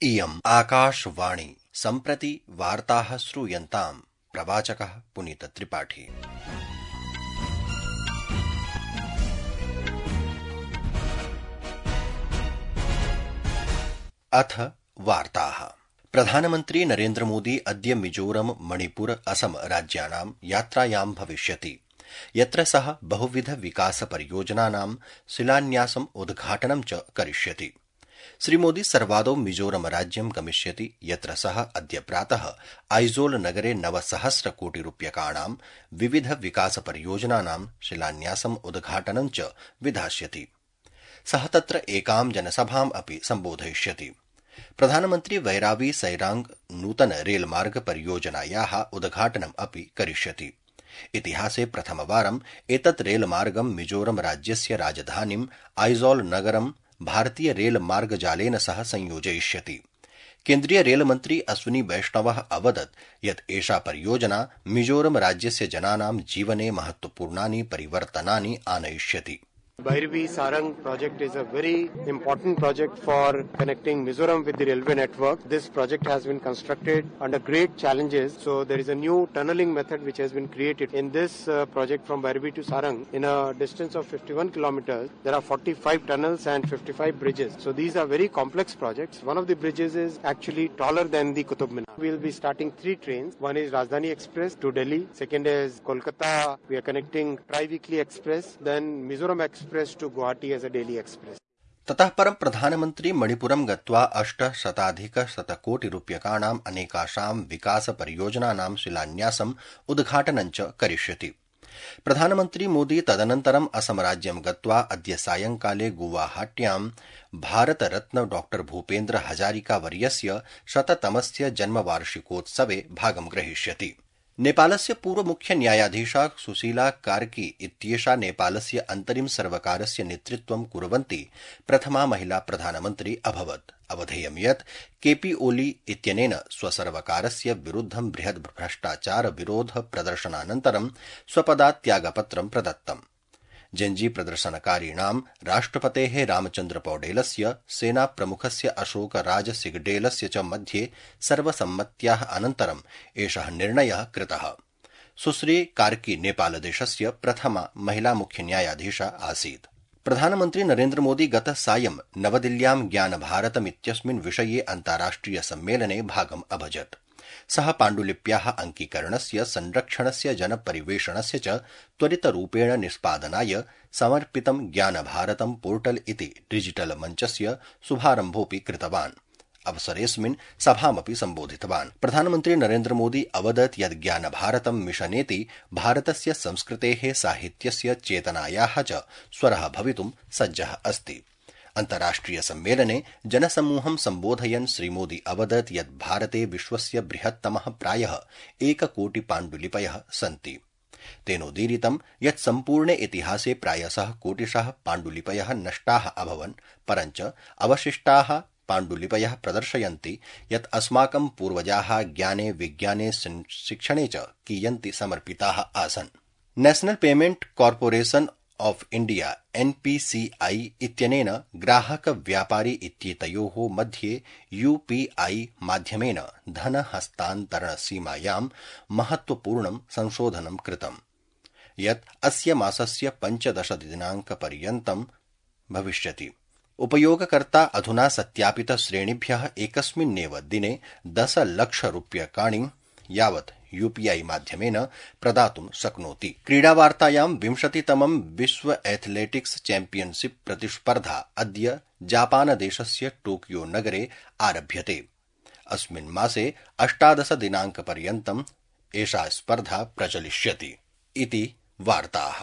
इयम् आकाशवाणी सम्प्रति वार्ताः श्रूयन्ताम्। प्रवाचकः पुनीतत्रिपाठी। अथ वार्ताः। प्रधानमन्त्री नरेन्द्र मोदी अद्य मिजोरम, मणिपुर, असम राज्यानां यात्रायां भविष्यति, यत्र सः बहुविध विकास परियोजनानां शिलान्यासम् उद्घाटनं च करिष्यति। श्रीमोदी सर्वादौ मिजोरम राज्यं गमिष्यति, यत्र सः अद्य प्रातः आइजोल नगरे 9,000 कोटिरूप्यकाणां विविध विकास परियोजनानां शिलान्यासम् उद्घाटनं च विधास्यति। सः तत्र एकां जनसभाम् अपि सम्बोधयिष्यति। प्रधानमन्त्री वैरावी सैरांग नूतन रेलमार्ग परियोजनायाः उद्घाटनम् अपि करिष्यति। इतिहासे प्रथमवारम् एतत् रेलमार्गं मिजोरम राज्यस्य राजधानीं आइजोल नगरं भारतीय रेलमार्गजालेन सह संयोजयिष्यति। केन्द्रीय रेलमन्त्री अश्विनी वैष्णवः अवदत् यत् एषा परियोजना मिजोरम राज्यस्य जनानां जीवने महत्वपूर्णानि परिवर्तनानि आनयिष्यति। Bhairavi Sarang project is a very important project for connecting Mizoram with the railway network. This project has been constructed under great challenges. So there is a new tunneling method which has been created. In this project from Bhairavi to Sarang, in a distance of 51 kilometers, there are 45 tunnels and 55 bridges. So these are very complex projects. One of the bridges is actually taller than the Qutub Minar. We will be starting 3 trains. One is Rajdhani Express to Delhi. Second is Kolkata. We are connecting Tri-Weekly Express. Then Mizoram Express to Guwahati as a daily express. ततः परं प्रधानमन्त्री मणिपुरं गत्वा 800 कोटिरूप्यकाणां अनेकाषां विकास परियोजनानां शिलान्यासम् उद्घाटनं च करिष्यति। प्रधानमन्त्री मोदी तदनन्तरम् असम राज्यं गत्वा अद्य सायंकाले गुवाहाट्यां भारतरत्न डॉ भूपेन्द्र हजारिका वर्यस्य 100तमस्य जन्मवार्षिकोत्सवे भागं ग्रहीष्यति। नेपालस्य पूर्व मुख्य न्यायाधीशा सुशीला कार्की इत्येषा नेपालस्य अन्तरिम सर्वकारस्य नेतृत्वं कुर्वन्ती प्रथमा महिला प्रधानमन्त्री अभवत्। अवधेयं यत् केपी ओली इत्यनेन स्वसर्वकारस्य विरुद्धं बृहद् भ्रष्टाचार विरोध प्रदर्शनानन्तरं स्वपदात् त्यागपत्रं प्रदत्तम्। जेन्जी प्रदर्शनकारीणां राष्ट्रपतेः रामचन्द्र पौडेलस्य, सेना प्रमुखस्य अशोक राज सिगडेलस्य च मध्ये सर्वसम्मत्याः अनन्तरम् एषः निर्णयः कृतः। सुश्री कार्की नेपालदेशस्य प्रथमा महिला मुख्य न्यायाधीशा आसीत्। प्रधानमन्त्री नरेन्द्र मोदी गत सायं नवदिल्ल्यां ज्ञानभारतमित्यस्मिन् विषये अन्ताराष्ट्रिय सम्मेलने भागम् अभजत्। सः पाण्डुलिप्याः अङ्कीकरणस्य, संरक्षणस्य, जनपरिवेषणस्य च त्वरितरूपेण निष्पादनाय समर्पितं ज्ञानभारतं पोर्टल इति डिजिटल मञ्चस्य शुभारम्भोऽपि कृतवान्। अवसरेऽस्मिन् सभामपि सम्बोधितवान्। प्रधानमन्त्री नरेन्द्र मोदी अवदत् यत् ज्ञानभारतं मिशनेति भारतस्य संस्कृतेः, साहित्यस्य, चेतनायाः च स्वरः भवितुं सज्जः अस्ति। अन्ताराष्ट्रिय सम्मेलने जनसमूहं सम्बोधयन् श्रीमोदी अवदत् यत् भारते विश्वस्य बृहत्तमः प्रायः 1 कोटि पाण्डुलिपयः सन्ति। तेनोदीरितं यत् सम्पूर्णे इतिहासे प्रायशः कोटिशः पाण्डुलिपयः नष्टाः अभवन्, परञ्च अवशिष्टाः पाण्डुलिपयः प्रदर्शयन्ति यत् अस्माकं पूर्वजाः ज्ञाने, विज्ञाने, शिक्षणे च कियन्ति समर्पिताः आसन्। National payment corporation of India NPCI इत्यनेन ग्राहक व्यापारी इत्येतयोः मध्ये UPI माध्यमेन धन हस्तान्तरण सीमायां महत्वपूर्णं संशोधनं कृतम्, यत् अस्य मासस्य 15 दिनाङ्कपर्यन्तं भविष्यति। उपयोगकर्ता अधुना सत्यापित श्रेणिभ्यः एकस्मिन्नेव दिने 10 लाख रूप्यकाणि यावत् UPI माध्यमेन प्रदातुं शक्नोति। क्रीडावार्तायां 20तमं विश्व एथलेटिक्स चैम्पियनशिप प्रतिस्पर्धा अद्य जापानदेशस्य टोकियो नगरे आरभ्यते। अस्मिन् मासे 18 दिनाङ्कपर्यन्तम् एषा स्पर्धा प्रचलिष्यति। इति वार्ताः।